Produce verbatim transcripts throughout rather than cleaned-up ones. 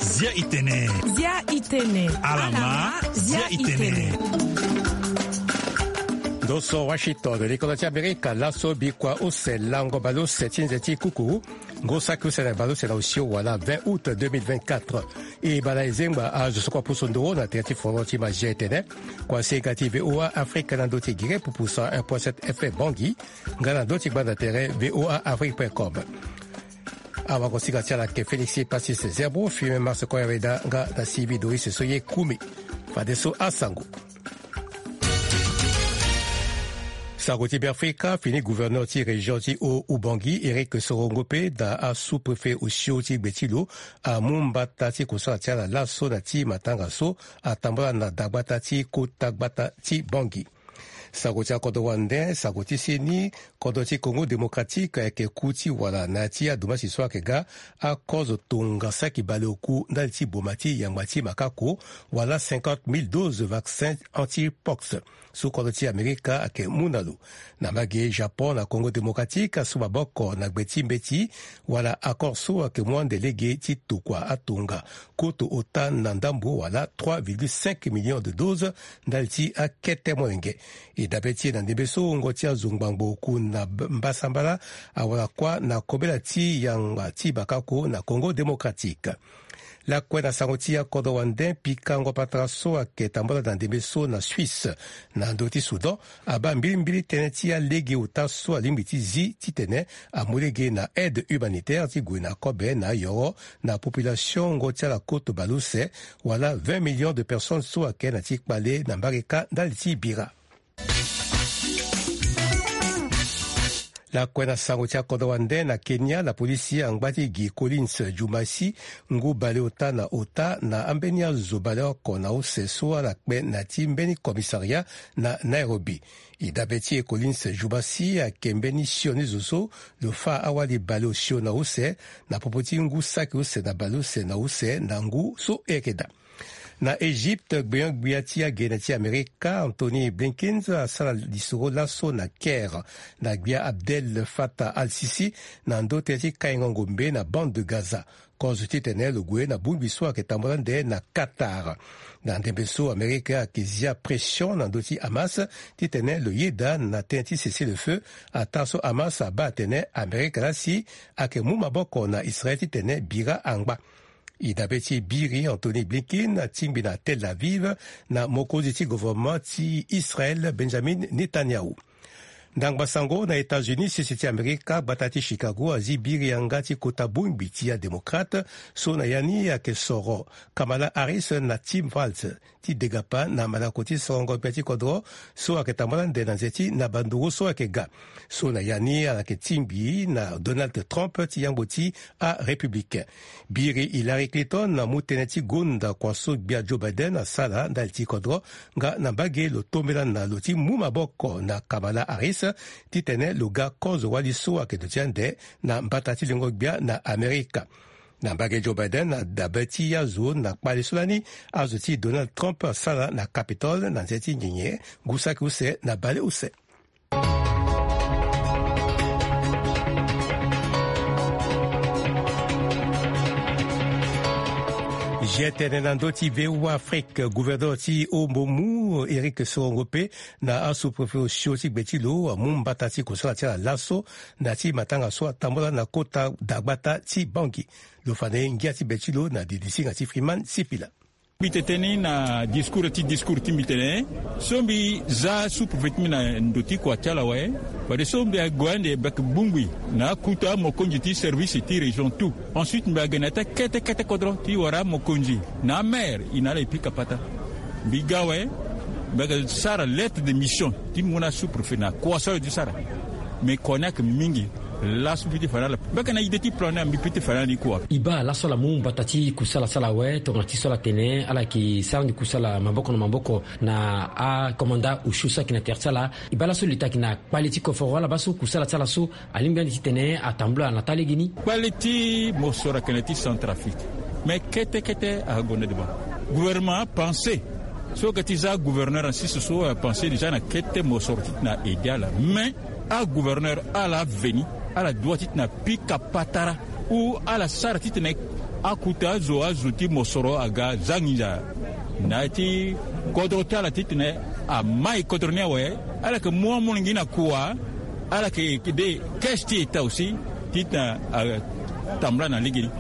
Zia itene. Zia itene. Alama. Zia itene. Ndo so Washington, likolo ti Amerika, laso bikua use lango baleuse ti nze ti kuku. Ngu saki use na baleuse na osio wala vingt août deux mille vingt-quatre. E bala ezengba azo so kua pusu nduru na tere ti foro ti Mazia etene. Kua sega ti VOA Afrique na ndo ti gere pupu cent un point sept F M Bangui. Nga na ndo ti gbanda tere VOA Afrique point com. Awagosinga ti ala ayeke Félix Passis Zerbo, Firmin Mars Koyaweda nga na Sylvie Doris so ye kumi. Fadeso asango. Sango ti Beafrika, fini gouverneur ti région ti Haut-Oubangui, Éric Sorongope, na asous-préfet osio ti gbe ti lo, amu mbata ti kusala ti ala laso na ti matanga so atambula na dagbata ti kota gbata ti Bangui. Sango ti akodro wande, sango ti seni, kodro ti Congo Démocratique ayeke ku ti wala na ya ti adomasi so ayeke ga akozo tonga saki baleoku ndali ti boma ti yangba ti makako, wala cinquante mille doses vaccin anti-pox so kodro ti Amerika ayeke mu na lo. Na mbage Japon na Congo Démocratique asu maboko na gbe ti mbeti wala accord so ayeke mu ande lege ti tokua atonga koto ota na ndambo wala trois virgule cinq millions de doses ndali ti akete molenge. E dabe ti e na ndembe so wungo ti azo ngbangbo oku na b-, mbasambala awara kuâ na kobela ti yanga ti bakako na Congo Démocratique. Lakue na sango ti akodro wande, pikango patara so ayeke tambula na ndembe so na Suisse na ndö ti Soudan abaa mbilimbili tënë ti alege ota so alingbi ti zi titene amu lege na aide humanitaire ti gue na kobe na ayoro na population wungo ti ala koto baleuse, wala vingt millions de personnes so ayeke na ti kpale na mbage kâ ndali ti bira. Lakue na sango ti akodro wande, na Kenya, lapolisi angba ti gi Collins Jumasi ngu baleota na ota na ambeni azo baleoko na use so ala kpe na ti mbeni commissariat na Nairobi. E dabe ti e Collins Jumasi ayeke mbeni sioni zo so lo fâ awali baleosio na use na popo ti ngu saki use na baleuse na use na ngu so e yeke daa. Na Egypte, gbenyo-gbia ti agene ti Amerika, Anthony Blinken, asara lisoro laso na Caire na gbia Abdel Fattah al-Sisi na ndö tënë ti kaingo ngombe na bande de Gaza, kozo titene lo gue na bongbi so ayeke tambula ande na Qatar. Na ndembe so Amerika ayeke zia pression na ndö ti Hamas titene lo yeda na tënë ti cessez-le-feu, ataa so Hamas abaa atene Amerika laa si ayeke mu maboko na Israël titene bira angba. E dabe ti e biri Anthony Blinken atingbi na Tel Aviv na mokonzi ti gouvernement ti Israël, Benjamin Netanyahu. Ndangba sango na États-Unis, sese ti Amerika, gbata ti Chicago azi biri yanga ti kota bongbi ti adémocrate so na ya ni ayeke soro Kamala Harris na Tim Walz ti degapa na malako ti sorongo gbia ti kodro so ayeke tambula ande na nze ti naba nduru so ayeke ga. So na ya ni ala yeke tingbi na Donald Trump ti yangbo ti arépublicain. Biri Hillary Clinton amu tënë ti gonda kua so gbia Joe Biden asara ndali ti kodro, nga na mbage lo tombela na lo ti mu maboko na Kamala Harris titene lo ga kozo wali so ayeke duti ande na mbata ti lengo gbia na Amerika. Na mbage Joe Biden, na dabe ti azo na kpale so lani azo ti Donald Trump asara na Capitole na nze ti nyenye, ngu saki use na baleuse. Zi tene na ndö ti VOA Afrique, gouverneur ti Haut-Mbomou, Éric Sorongope, na asous-préfet osio ti gbe ti lo amu mbata ti kusala ti ala laso na ti matanga so atambula na kota dagbata ti Bangui. Lo fa na e ngia ti be ti lo na didisinga ti Freeman Sipila. Mbi tene ni na discours ti discours ti mbi tene so mbi za sous-préfet ti mbi na ndo ti kua ti ala awe. Fadeso mbi ague ande bek bongbi na akuta amokonzi ti service ti région tout. Ensuite mbi ague na ya ti akete kete kodro ti wara amokonzi na amaire, e na ala e pika pata. Mbi ga awe, mbi ayeke sara lettre de mission ti mu na sous-préfet na kua so ala ye ti sara. Me kua ni ayeke mingi. Laso mbi ti fa na ala, mbi yeke na ide ti plan ni, mbi peut ti fa na ala ni kua. E baa laso ala mu mbata ti kusala ti ala awe, tongana ti so ala tene ala yeke sara ni kusala maboko na maboko na akomanda osio so ayeke na tere ti ala. E baa laso lo yeke na kpale ti koforo ala baa so kusala ti ala so alingbi ande titene atambula na taa legeni. Kpale ti mosoro ayeke na ti Centrafrique. Me kete kete agonda devant. Gouvernement apense so ga ti za gouverneur en six so apense déjà na kete mosoro ti na aide ala. Mais Agouverneur ala aveni, ala dua titene apika patara ou ala sara titene akuta azo azo ti mosoro aga za nginza. Na ya ti kodro ti ala titene amai kodro ni awe, ala yeke mu amolenge ni na kua, ala yeke de caisse ti eta aussi titene atambula na legeni.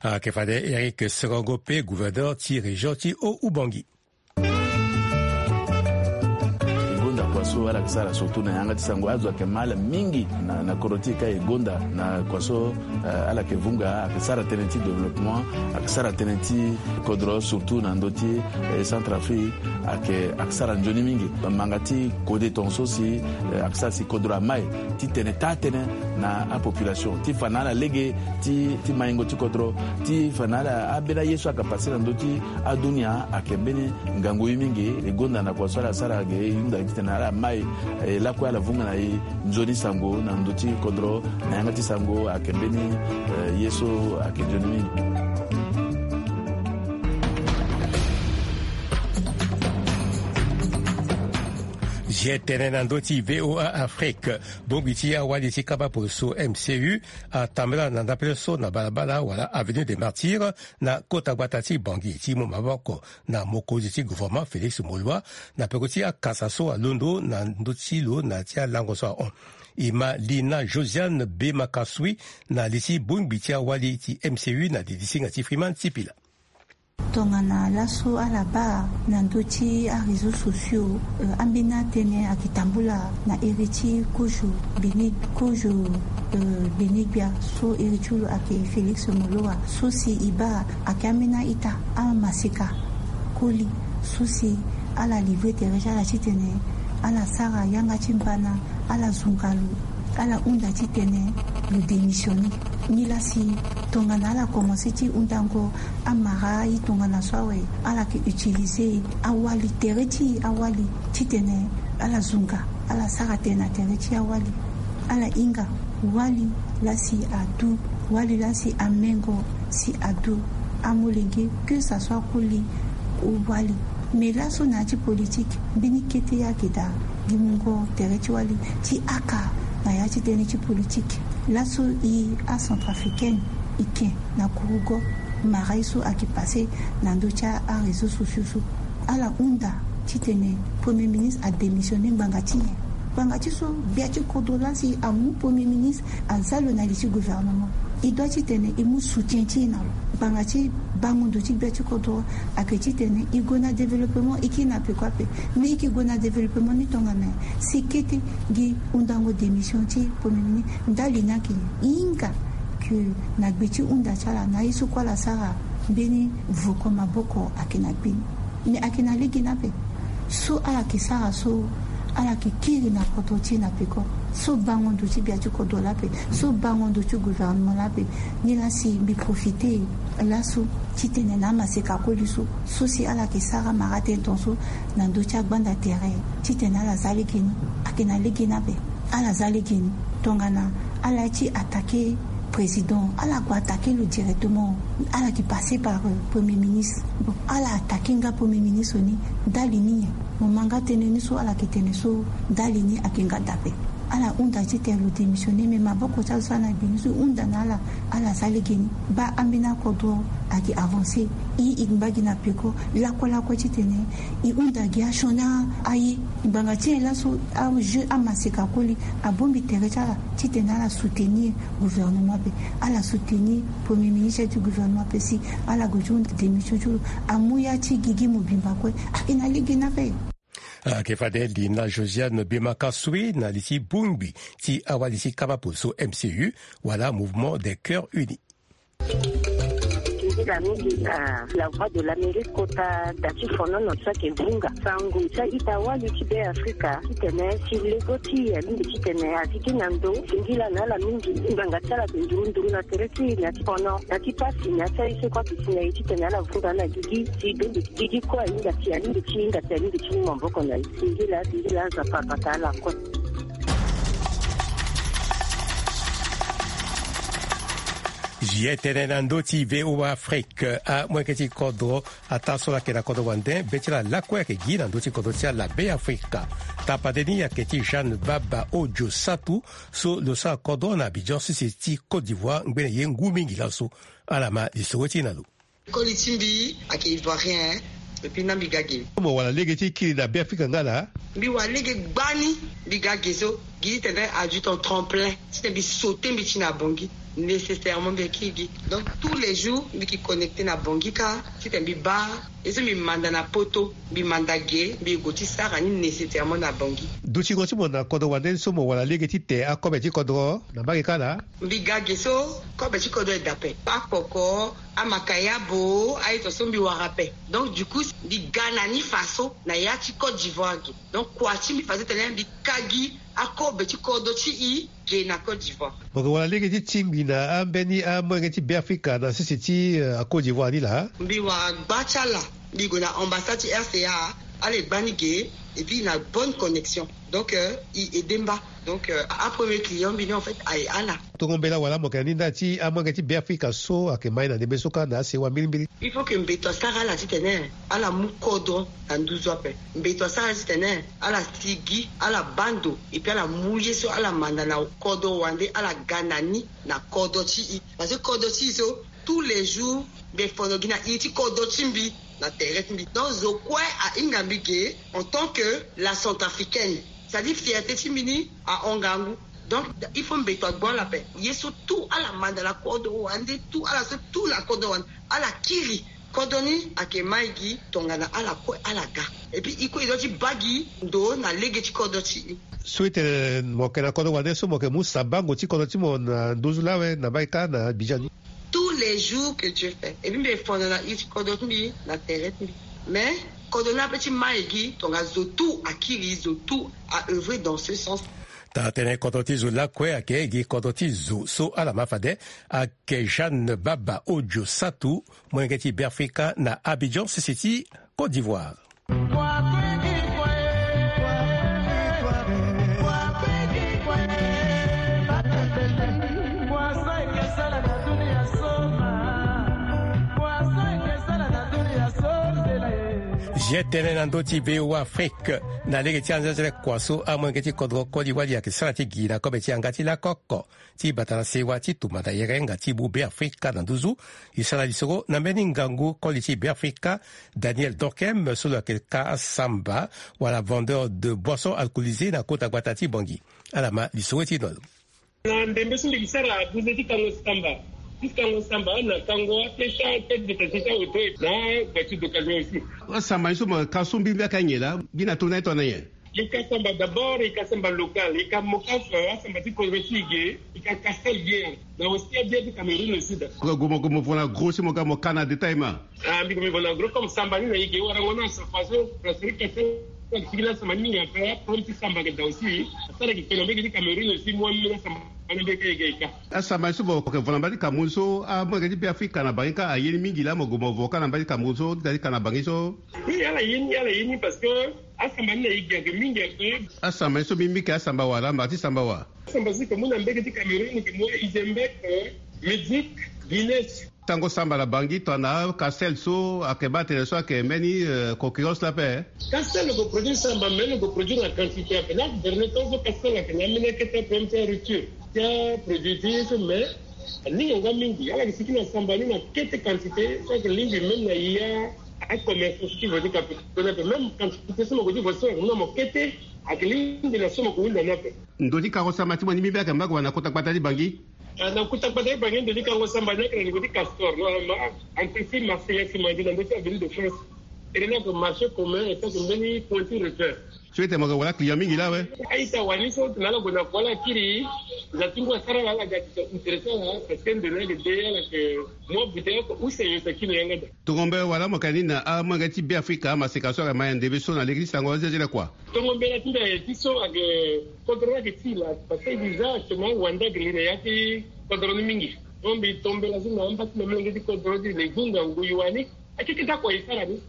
Ayeke fade Eric Serongo pe gouverneur ti région ti Haut-Oubangui. E gonda kua so ala yeke sara surtout na yanga ti sango, azo ayeke ma ala mingi na, na kodro ti e ka e gonda na kua so, eh, ala yeke vunga, ayeke sara tënë ti développement, ayeke sara tënë ti kodro surtout na ndö ti, eh, Centrafrique, ayeke, ayeke sara nzoni mingi. Manga ti kode tongaso si, eh, ayeke sara si kodro amai titene taa tënë na apopulation ti fa na ala lege ti, ti maingo ti kodro, ti fa na ala, ambeni aye so ayeke pase na ndö ti adunia ayeke mbeni ngangu ye mingi. E gonda na kua so ala sara ge, e hunda titene ala mai, e lakue ala vunga na e nzoni sango na ndö ti kodro, na yanga ti sango ayeke mbeni, eh, ye so ayeke nzoni mingi. Zi tene na ndö ti V O A Afrique, bongbi ti awali ti kaba poroso M C U atambula na ndapele so na balabala wala Avenue des Martyrs na kota gbata ti Bangui ti mu maboko na mokonzi ti gouvernement Félix Moloua na peko ti akasa so alondo na ndö ti lo na ti alango so ahon. E ma Lina Josiane Bemakasui na li ti bongbi ti awali ti M C U na li ti singa ti Freeman Sipila. Tongana laso ala baa na ndö ti aréseaux sociaux, euh, ambeni atënë ayeke tambula na iri ti kozo Beni, kozo, euh, Beni Gbia so iri ti lo ayeke Félix Moloua. So si e baa ayeke ambeni a-ita, amaseka koli so si ala livrer tere ti ala titene ala sara yanga ti mbana, ala zunga lo, ala hunda titene lo démissionner. Nilaa si tongana ala komanse ti hundango amara aye tongana so awe, ala yeke utiliser awali, tere ti awali titene ala zunga, ala sara tënë na tere ti awali. Ala hinga wali laa si adu, wali laa si amengo si adu amolenge, que ça soit koli ou wali. Mais laso na ya ti politique, mbeni kete ye ayeke daa gi mungo tere ti wali ti aka na ya ti tënë ti politique. Laso e acentrafricaine e ke na kurugo mara ye so ayeke pase na ndö ti aréseaux sociaux so. Ala hunda titene Premier ministre adémissionner ngbanga ti nyen? Ngbanga ti so gbia ti kodro laa si amu Premier ministre aza lo na li ti gouvernement. E doit titene e mu soutien ti e na lo. Ngbanga ti bango ndo ti gbia ti kodro ayeke titene e gue na développement, e kiri na peko ape. Mais e yeke gue na développement ni tongana nyen? Si kete gi hundango démission ti Premier ministre, ndali ni ayeke nyen? E hinga que na gbe ti hunda ti ala na ye so kue ala sara, mbeni voko maboko ayeke na gbe ni. Mais ayeke na lege ni ape. So ala yeke sara so, ala yeke kiri na kodro ti e na peko. So bango ndo ti gbia ti kodro laa ape, so bango ndo ti gouvernement laa ape. Nilaa si mbi profiter laso titene na amaseka koli so, so si ala yeke sara mara tënë tongaso na ndö ti agbanda tere titene ala za lege ni, ayeke na lege ni ape. Ala za lege ni. Tongana ala ye ti attaquer président, ala gue attaquer lo directement. Ala yeke passer par, euh, Premier ministre. Bon, ala attaquer nga Premier ministre ni, ndali ni nyen? Mo ma nga tënë ni so ala yeke tene so, ndali ni ayeke nga dape. Ala hunda titene lo démissionner, mais maboko ti azo so ana gbe ni so e hunda na ala, ala za lege ni. Baa ambeni akodro ayeke avancer. E, e ngba gi na peko lakue lakue titene e hunda gi asioni aye. Ngbanga ti nyen laso ajeu amaseka koli abongbi tere ti ala titene ala soutenir gouvernement ape, ala soutenir Premier ministre ti gouvernement ape si ala gue ti hunda démission ti lo. Amu ya ti gigi mobimba kue. Ayeke na lege ni ape. Ayeke fade Lina Josiane Bemakasui na li ti bongbi ti awali ti kaba poroso M C U wala Mouvement des Cœurs Unis. Nzila mingi na La Voix de l'Amérique kota da ti fonono so ayeke vunga sango ti a-ita wali ti Be Afrika titene si lego ti e alingbi titene azi gi na ndo singila na ala mingi. Ngbanga ti ala ayeke nduru nduru na tere ti e na ya ti fono, na ya ti pasi, na ya ti aye so kue ayeke si na e titene ala vunga na gigi si dongi gigi kue ahinga si alingbi ti hinga si alingbi ti mu maboko na e. Singila, singila, Nzapa abata ala kue. Zi etene na ndö ti V O A Afrique, amolenge ti kodro ataa so laa ayeke na kodro wande be ti ala lakue ayeke gi na ndö ti kodro ti ala Be Afrika. Tapade ni ayeke ti Jeanne Baba Ojo Satu, so lo sara kodro na Abidjan sese ti Côte d'Ivoire ngbene ye ngu mingi laso. Ala ma lisoro ti e na lo. Koli ti mbi ayeke ivoirien, et puis na mbi ga ge. Mo wara lege ti kiri na Be Afrika nga laa? Mbi wara lege gbani. Mbi ga ge so gi titene adjutant tremplin titene mbi sauter mbi ti na Bangui. Nécessairement mbi kiri gi. Donc tous les jours mbi ki connecter na Bangui kâ titene mbi baa ye so mbi manda na poto, mbi manda ge, mbi gue ti sara ni nécessairement na Bangui. Dutingo ti mo na kodro wande ni so mo wara lege ti te akobe ti kodro na mbage kâ laa? Mbi ga ge so kobe ti kodro e daa ape. Akpoko, amakayabo, aye to so mbi wara ape. Donc du coup mbi ga na ni faso na ya ti Côte d'Ivoire ge. Donc kua ti mbi faso titene mbi ka gi akobe ti kodro ti e ge na Côte d'Ivoire. Mo yeke wara lege ti tingbi na ambeni amolenge ti Be Afrika na sese ti, euh, Côte d'Ivoire ni laa? Mbi wara gba ti ala, mbi gue na ambassade ti R C A, ala e gba ni ge, et puis na bonne connexion. Donc euh, e aidé mba. Donc euh, apremier client mbi ni en fait aye ala. Tongo mbela wala mo yeke na ni nda ti amolenge ti Be Afrika so ayeke ma ye na ndembe so kâ na asewa mbirimbiri? Il faut que mbeto asara ala titene ala mu kodro na nduzu ape. Mbeto asara ala titene ala sigi, ala baa ndo, et puis ala mu ye so ala manda na kodro wande, ala ga na ni na kodro ti e. Parce que kodro ti e so tous les jours mbi e fondo gi na iri ti kodro ti mbi na tere ti mbi. Donc zo kue ahinga mbi ge en tant que la centrafricaine. C'est-à-dire fierté ti mbi ni ahon ngangu. Donc il faut mbeto agbu ala ape. Ye so tout ala manda na kodro wande, tout ala so tout na kodro wande, ala kiri. Kodro ni ayeke ma e gi tongana ala kue ala ga. Et puis e kue e doit ti baa gi ndo na lege ti kodro ti e. So e tene mo yeke na kodro wande so mo yeke mu sabango ti kodro ti mo na nduzu laa awe na mbage kâ na Abidjan ni? Tous les jours que Dieu fait. Et puis mbi e fondo na iri ti kodro ti mbi na tere ti mbi. Mais kodro ni ape ti ma e gi tongana zo tout akiri, zo tout a œuvrer dans ce sens. Tara tënë kodro ti zo lakue ayeke gi kodro ti zo so ala ma fade. Ayeke Jeanne Baba Ojo Satu, molenge ti Be Afrika na Abidjan, sese ti Côte d'Ivoire. Zi etene na ndö ti V O A Afrique na lege ti anzenzele kua so amolenge ti kodro koli wali ayeke sara ti gi na kobe ti yanga ti lakoko ti bata na sewa ti tumba na yere nga ti mu Be Afrika na nduzu. E sara lisoro na mbeni ngangu koli ti Be Afrika, Daniel Dorkem, so lo yeke ka asamba wala vendeur de boisson alcoolisée na kota gbata ti Bangui. Ala ma lisoro ti e na lo. Na ndembe so mbi yeke sara buze ti kango samba, ti kango samba na kango apesa tête de tête ti auto na voiture d'occasion aussi. Asamba ni so mo ka so mbirimbiri ayeke nyen laa? Gi na tongana ye tongana nyen? E ka samba d'abord, e ka samba local, e ka mo ka fa asamba ti kodro ti e ge, e ka ka sel bien. Na aussi abia ti Cameroun aussi da. Gue mo gue mo vo na gros si mo ga mo ka na détail ma. Ah, mbi gue mbi vo na gros comme samba ni na e ge warango na sa façon parce que ka sel. Sigi na samba ni mingi aka problème ti samba ge da aussi. Asara gi kena mbege ti Cameroun aussi mo amina samba na mbege ge ka. Asamba ni so mo ke vo na mbage ti Cameroun so, ah, mo ke ti Be Afrika na bangi ka aye ni mingi laa mo gue mo vo ka na mbage ti Cameroun so, ti ka na bangi so. Oui, ala ye ni, ala ye ni parce que asamba ni na e gi ake mingi ake. Asamba ni so mbi mbi ke asamba wa laa mba ti samba wa? Asamba si ke mu na mbege ti Cameroun ke mu Izembek, eh, Mexique, Guinée. Tango samba na bangi tongana Castel so ake baa tene so ake mbeni, eh, concurrence lape. Castel lo ke produire samba mais lo ke produire na quantité ape. Na dernier temps so Castel ake na ambeni akete ape ti rupture ti aproduit ti ye so mais aninga nga mingi. Ala ke sigi na samba ni na kete quantité so ake lingbi même na ya. Acommerce so ti vo ti ka pe kona pe même quantité so mo ko ti vo so na mo kete. Ake lingbi na so mo ko hunda ni ape. Ndo ti kango samba ti mo ni mbi mbi ake mba ko wara na kota gbata ti bangi? Ah, na kota gbata ti bangi ndo ti kango samba ni ake na niveau ti Castor normalement. Entreprise Marseillais Ciment na ndo ti Avenue de France. Tene ni ake marché commun et tant que mbeni point ti repère. So ete mo yeke wala client mingi laa awe? A-ita wani so tena ala gue na kua ala kiri. Za ti ngu asara ala ala ga ti intéressant laa parce que ndoni ayeke de ala yeke mu abute oko use nyen so akiri na yanga da. Tongo mbela wala mo yeke na ni na amolenge ti Be Afrika amaseka so ayeke ma ya ndembe so na lege ti sango azezele kua? Tongo mbela ti mbi ayeke ti so ayeke kodro ni ayeke ti e laa parce que e di za actuellement wande ayeke li na ya ti kodro ni mingi. Donc mbi to mbela so na amba ti na amolenge ti kodro ti e na e gue ngangu e wani. Akeke ti akua e sara ni.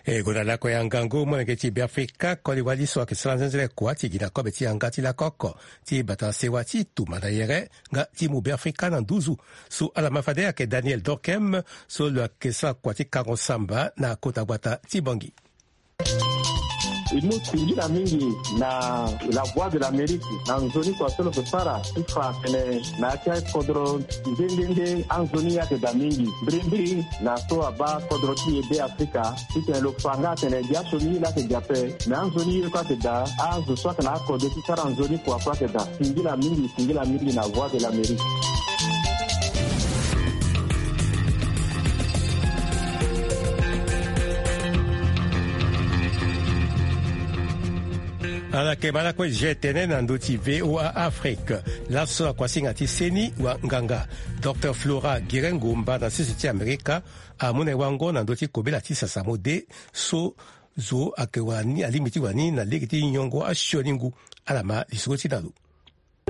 E gonda lakue ya ngangu molenge ti Beafrika koli wali so ayeke sara nzenzele kua ti gi na kobe ti yanga ti lako oko ti bata sewa ti tumba na yere nga ti mu Beafrika na nduzu. So ala ma fade ayeke Daniel Dorkem so lo yeke sara kua ti kango samba na kota gbata ti Bangui. E mu singila mingi na La Voix de l'Amérique na nzoni kua so lo yeke sara ti fa atene na ya ti akodro nde nde nde anzoni ye ayeke daa mingi mbirimbiri na so abaa kodro ti e Beafrika. Titene lo fa nga atene gi asioni ye laa ayeke gi ape. Me anzoni ye kue ayeke daa, azo so ayeke na akode ti sara nzoni kua kue ayeke daa. Singila mingi, singila mingi na Voix de l'Amérique. Ala yeke baa lakue G T N na ndö ti V O A Afrique. Laso na kuasinga ti seni wanganga, Docteur Flora Girengomba na sese ti Amerika amu na e wango na ndö ti kobela ti sasa mode so zo ayeke wani, alingbi ti wani na lege ti nyongo asioni ngu. Ala ma lisoro ti na lo.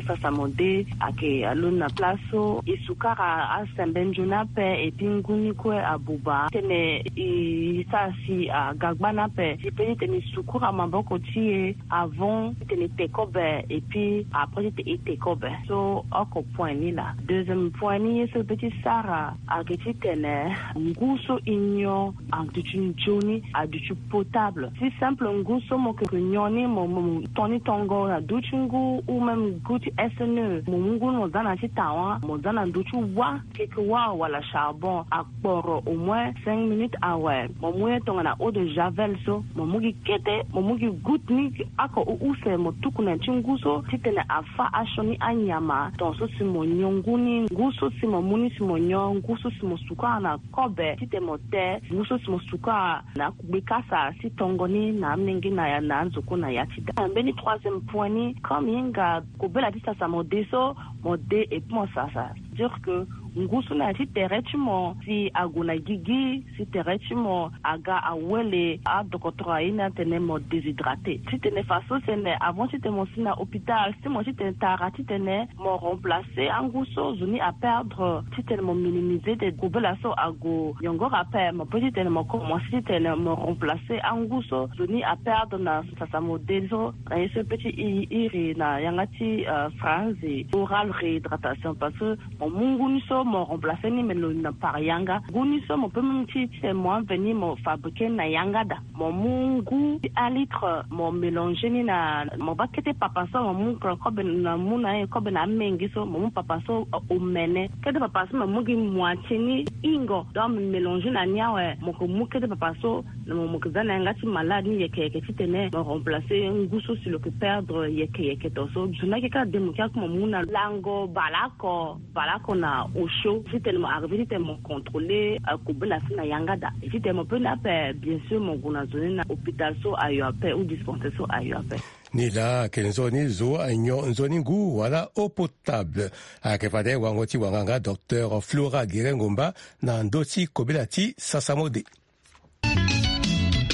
Sasa mode ayeke alondo na place so e sukara asembe nzoni ape, et puis ngu ni kue abuba titene e sara si aga gbani ape. E peut titene e sukura maboko ti e avant titene e te kobe, et puis après titene e te kobe. So oko point ni laa. Deuxième point ni ye so e peut ti sara ayeke titene ngu so e nyon aduti nzoni, aduti potable. Si simple ngu so mo yeke nyon ni, mo, mo, mo to ni tongo na duti ngu, ou même ngu ti S N E, mo mu ngu ni mo za na ya ti tawa, mo za na ndö ti wa, keke wa wala charbon, akporo au moins cinq minutes awe. Mo mu ye tongana eau de javel so, mo mu gi kete, mo mu gi goutte ni, oko u use mo tuku na ya ti ngu so titene afâ asioni anyama. Tongaso si mo nyon ngu ni, ngu so si mo mu ni si mo nyon, ngu so si mo sukara na kobe titene mo te, ngu so si mo sukara na akugbe kasa ti tongo ni na amenge na ya, na anzoko na ya ti da. Mbeni troisième point ni, comme e hinga kobela ti sasa mo de so, mo de et puis mo sasa. Dire que ngu so na ya ti tere ti mo si ague na gigi, si tere ti mo aga awele, adokotoro aye ni atene mo déshydraté. Titene faso sene, avant titene mo si na hôpital, si mo titene tara titene mo remplacer angu so zo ni aperdre, titene mo minimiser titene kobela so ague nyongoro ape, mo peut titene mo commencer titene mo remplacer angu so zo ni aperdre na sasa mo de so, na ye so e peut ti i, iri na yanga ti, euh, franzi, oral réhydratation, parce que mo mu ngu ni so mo remplacer ni, mais lo na par yanga. Ngu ni so mo peut même ti, titene mo aveni mo fabriquer ni na yanga daa. Mo mu ngu un litre, mo mélanger ni na, mo baa kete papa so, mo mu kobe na, mu na ye kobe na amenge so, mo mu papa so, euh, omene. Kete papa so mo mu gi moitié ni hingo. Donc mo mélanger na ni awe, mo yeke mu kete papa so, na mo, mo yeke za na yanga ti malade ni yeke yeke titene mo remplacer ngu so si lo yeke perdre yeke yeke to so. Zo ni ayeke kâ de mo kia kue mo mu na lango baleoko. Baleoko na osio, titene mo arriver titene mo contrôler, euh, kobela so na yanga daa. Titene mo peut ni ape, bien sûr, mo gue na zo ni na hôpital so ayo ape ou dispensaire so ayo ape. Ni laa ayeke nzoni zo anyon nzoni ngu wala eau potable. Ayeke fade wango ti wanganga docteur Flora Girengomba na ndö ti kobela ti sasa mo de.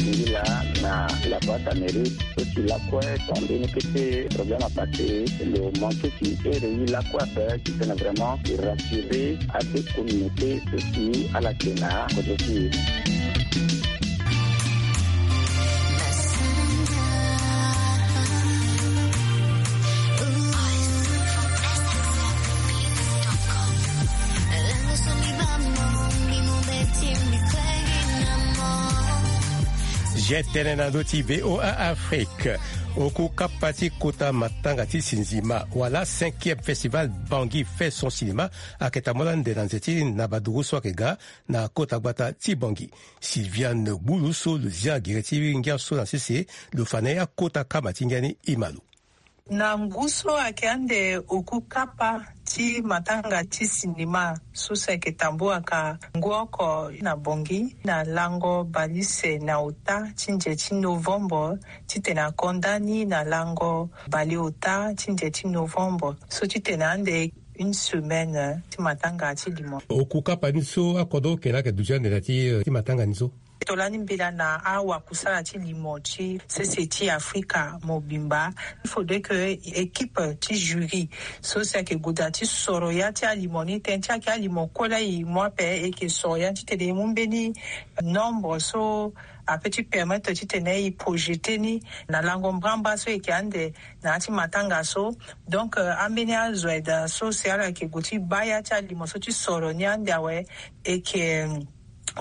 Ngi laa na la boîte à mérite so si lakue ton mbeni kete problème apassé, lo manqué ti ere ye lakue ape titene vraiment e rassurer ade communauté so si ala yeke na kodro ti e. G T N na ndö ti V O A Afrique. Oku kapa ti kota matanga ti sinzima wala cinquième festival Bangui fait son cinéma ayeke tambula ande na nze ti na baduru so ayeke ga na kota gbata ti Bangui. Sylviane Gbulu so lo zia gere ti ngia so na sese, lo fa na ye akota kama ti ngia ni, e ma lo. Na ngu so ayeke ande oku kapa ti matanga ti sinema so si ayeke tambuaka ngu oko na Bangui na lango bale use na ota ti nze ti novembre, titene akonda ni na lango bale ota ti nze ti novembre, so titene ande une semaine ti matanga ti limo. Oku kapa ni so akodro oke laa ayeke duti ande na ya ti, eh, ti matanga ni so? Tolani mbela na awakusala ti limo ti sese ti Afrika mobimba. Il faudrait que équipe ti jury so si ayeke gue daa ti soro ya ti alimo ni, tënë ti ayeke alimo kue laa e mu ape, e yeke soro ya titene e mu mbeni nombre so ape ti permettre titene e projeter ni na lango mbramba so e yeke ande na ya ti matanga so. Donc, euh, ambeni azo aye daa so si ala yeke gue ti baa ya ti alimo so ti soro ni ande awe, e yeke, euh,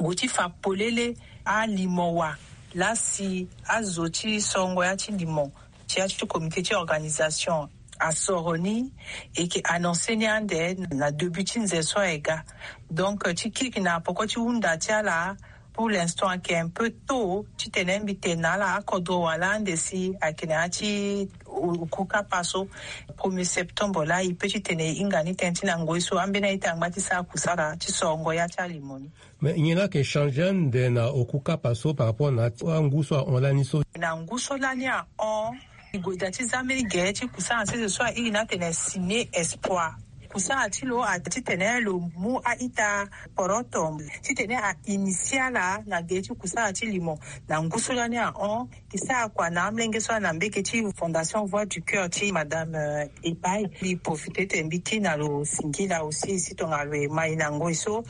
gue ti fa polele alimo wa laa si azo ti sorongo ya ti limo ti ya ti comité ti organisation asoro ni, e yeke annoncer ni ande na début ti nze so aye ga. Donc, euh, ti kirikiri na poko ti hunda ti ala, pour l'instant ayeke un peu tôt titene mbi tene na ala akodro wala ande si ayeke na ya ti o-, oku kapa so, premier septembre laa e peut titene e hinga ni tënë ti na ngoi so ambeni a-ita angba ti sara kusala ti sorongo ya ti alimo ni. Mais nyen laa ayeke changer ande na oku kapa so par rapport na angu so ahon lani so? Na ngu so lani ahon, e gue daa ti zia mbeni gere ti kusala na sese so airi ni atene Ciné Espoir. Kusala ti lo atene titene lo mu a-ita poroto titene a initier ala na gere ti kusala ti limo. Na ngu so lani ahon, e sara kua na amolenge so na mbege ti Fondation Voix du Cœur ti Madame, euh, Epai. Mbi profiter titene mbi ti na lo singila aussi si tongana lo e mai na ngoi so.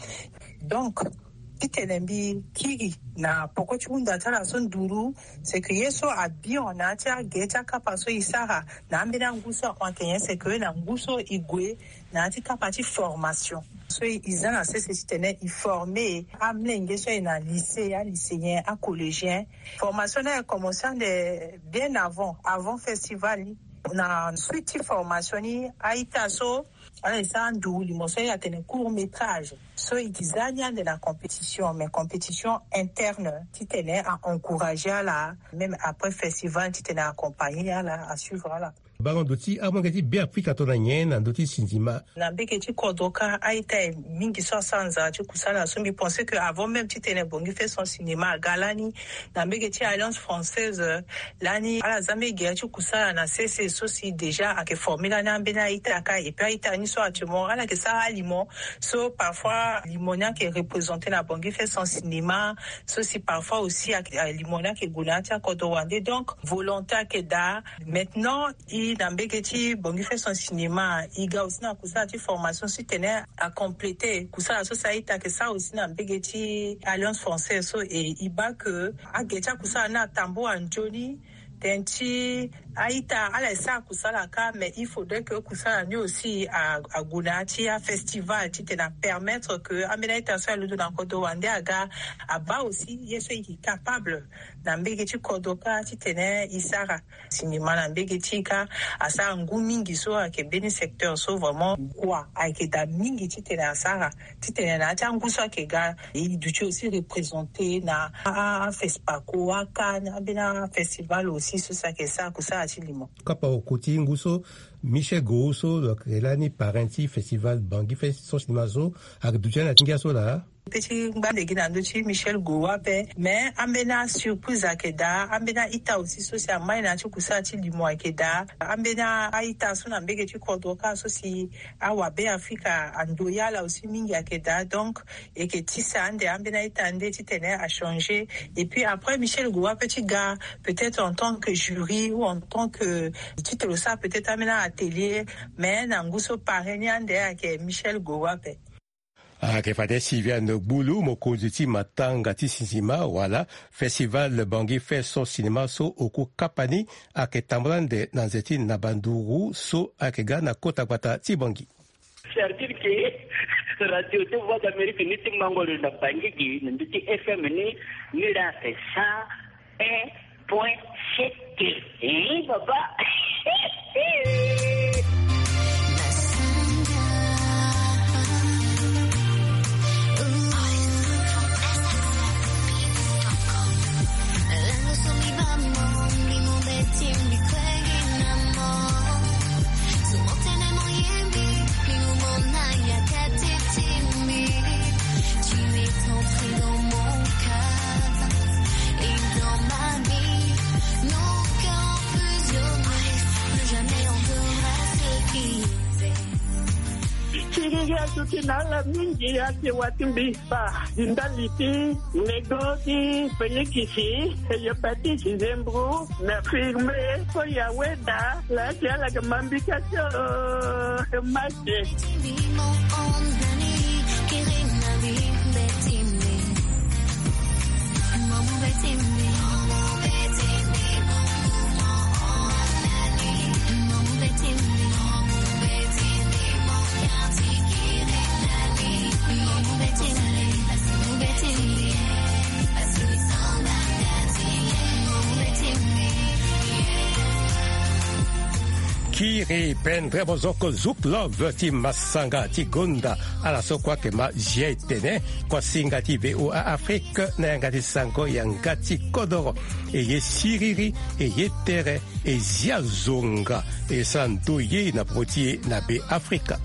Donc, titene mbi kiri na poko ti hunda ti ala so nduru, c'est que ye so abi hon na ya ti agere ti akapa so e sara na ambeni angu so ahon ayeke nyen, c'est que na ngu so e gue na ya ti kapa ti formation. So e, e za na sese titene e former amolenge so aye na lycée, alycéen, acollégien. Formation ni aye commencer ande bien avant, avant festival ni. Na suite ti formation ni, a-ita so ala e sara nduru limo so e atene court métrage. So e yeke za ni ande na compétition, mais compétition interne, titene a encourager ala, même après festival, titene a accompagner ala, a suivre ala. Bango ndo ti amolenge ti Beafrika tongana nyen na ndö ti sinzima? Na mbege ti kodro kâ, a-ita mingi so asara nzara ti kusala so mbi pense que avant même titene Bangui Fait Son Cinéma aga lani, na mbege ti Alliance Française, lani ala za mbeni gere ti kusala na sese so si déjà ayeke former lani ambeni a-ita kâ. Et puis a-ita ni so actuellement ala yeke sara alimo so parfois limo ni ayeke représenter na Bangui Fait Son Cinéma, so si parfois aussi ayeke, alimo ni ayeke gue na ya ti akodro wande. Donc volonté ayeke daa. Maintenant e na mbege ti Bangui Fait Son Cinéma, e ga aussi na kusala ti formation titene a compléter kusala so si a-ita ayeke sara aussi na mbege ti Alliance Française so. Et e baa que agere ti akusala ni atambula nzoni. Tënë ti a-ita ala e sara kusala kâ, mais il faudrait que kusala ni aussi a, ague na ya ti afestival titene a permettre que ambeni a-ita so aye londo na kodro wande aga, abaa aussi ye so e yeke capable na mbege ti kodro kâ titene e sara. Sinema na mbege ti e kâ asara ngu mingi so ayeke mbeni secteur so vraiment kua ayeke daa mingi titene asara, titene na ya ti angu so ayeke ga e duti aussi représenter na a, a, aFESPACO, aCAN, ambeni afestival aussi so si ayeke sara kusala ti limo. Kapa oko ti ngu so, Michel Gowo so lo yeke lani parrain ti festival Bangui Fait Son Cinéma so, ayeke duti ni na ti ngia so laa. Mbi peut ti ngba lege na ndö ti Michel Gowo ape, mais ambeni asurprise ayeke daa, ambeni a-ita aussi so si amai na ya ti kusala ti limo ayeke daa, ambeni a-ita so na mbege ti kodro kâ so si awabe Afrika andoyi ala aussi mingi ayeke daa. Donc e yeke tisa ande ambeni a-ita nde titene achanger. Et puis après Michel Gowo ape ti ga peut-être en tant que jury ou en tant que ti tene lo sara peut-être ambeni atelier, mais na ngu so parrain ni ande ayeke Michel Gowo ape. Ayeke fade Sylviane Gbulu, mokonzi ti matanga ti sinzima wala festival Bangui Fait Son Cinéma so oku kapa ni ayeke tambula ande na nze ti naba nduru so ayeke ga na kota gbata ti Bangui. C'est-à-dire que radio ti Voix d'Amérique ni ti mango lo na Bangui gi na ndö ti F M ni, ni laa ayeke sa un point sept. Hein, papa. Siriri aduti na ala mingi ake watimbi. Ba di ndali ti lego ti penikisi, hepatite, zembro, na firme ko ya weda. La ti ala ke mambika ti o mate. Kiri pendremo zoko Zouk Love ti masanga ti gonda. Ala so kua ke ma zia etene kua singa ti VOA Afrique na yanga ti sango yanga ti kodoro. E ye siriri, e ye tere, e zia zonga, e sara ndo ye na popo ti e na Be Afrika.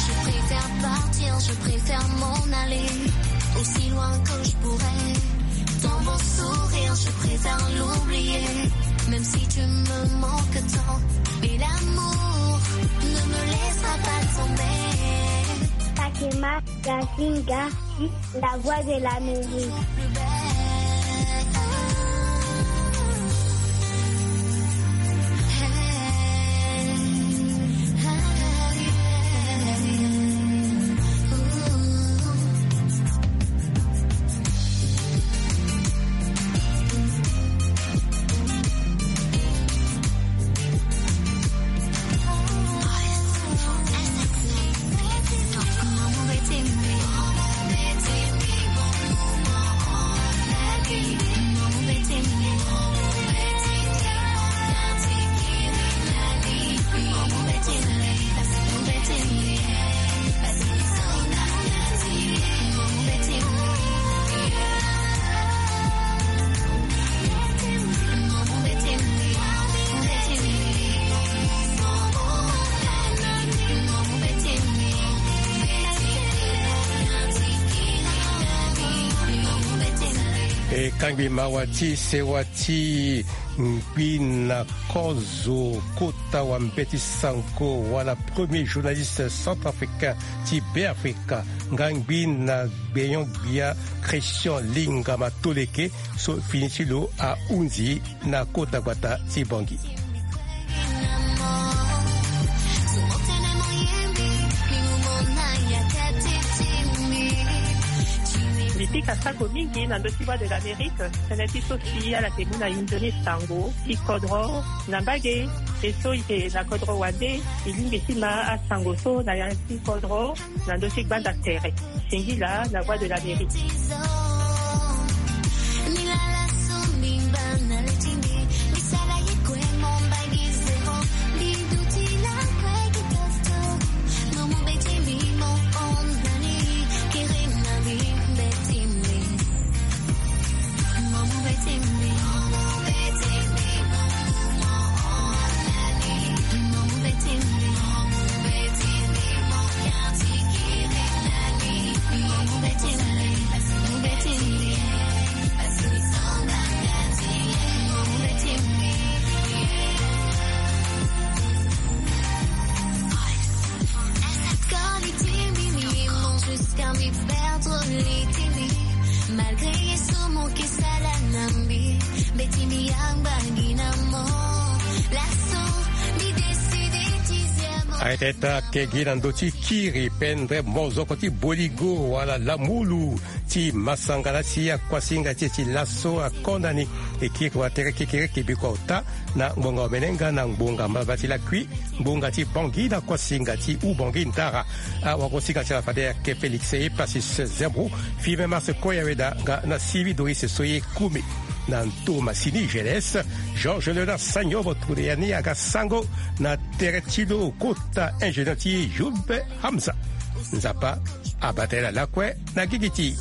Je préfère partir, je préfère m'en aller, aussi loin que je pourrais. Dans mon sourire, je préfère l'oublier, même si tu me manques tant. Mais l'amour ne me laissera pas tomber. Fatima Gazinga, la voix de l'Amérique. E kangbi mawa ti sewa ti ngbi na kozo kota wa mbeti sango wala premier journaliste centrafricain ti Beafrika, nga ngbi na gbenyon-gbia Christian Lingama Toleke, so fini ti lo ahunzi na kota gbata ti Bangui. Mbi pika sako mingi na ndö ti Voix de l'Amérique, tënë ti so si ala yeke mu na inzo ni sango ti kodro na mbage. E so e yeke na kodro wande, e lingbi ti ma asango so na ya ti kodro na ndö ti gbanda tere. Singila na Voix de l'Amérique. Aye teta ke gi na ndö ti kiri pendere mozoko ti boligo wala lamulu ti masanga la si akuasinga ti e ti laso akonda ni. E kiri watere kekereke biko ota na ngbonga omene nga na ngbonga mbaba ti lakui, ngbonga ti Bangui na kuasinga ti Oubangui ndara. Awagosinga ti ala fade ayeke Félix Epasis Zembro, Firmin Mars Koyaweda nga na Sylvie Doris Soye Koume. Na ndo masini jeunesse, Georges Léonard Sagnovo tule ya ni aga sango na tere ti lo kota ingénieur ti Youb Hamza. Nzapa abata ye lakue na gigi ti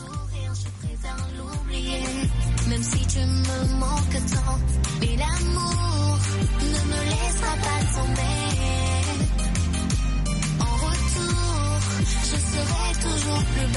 Même si tu me manques tant, mais l'amour ne me laissera pas tomber. En retour, je serai toujours plus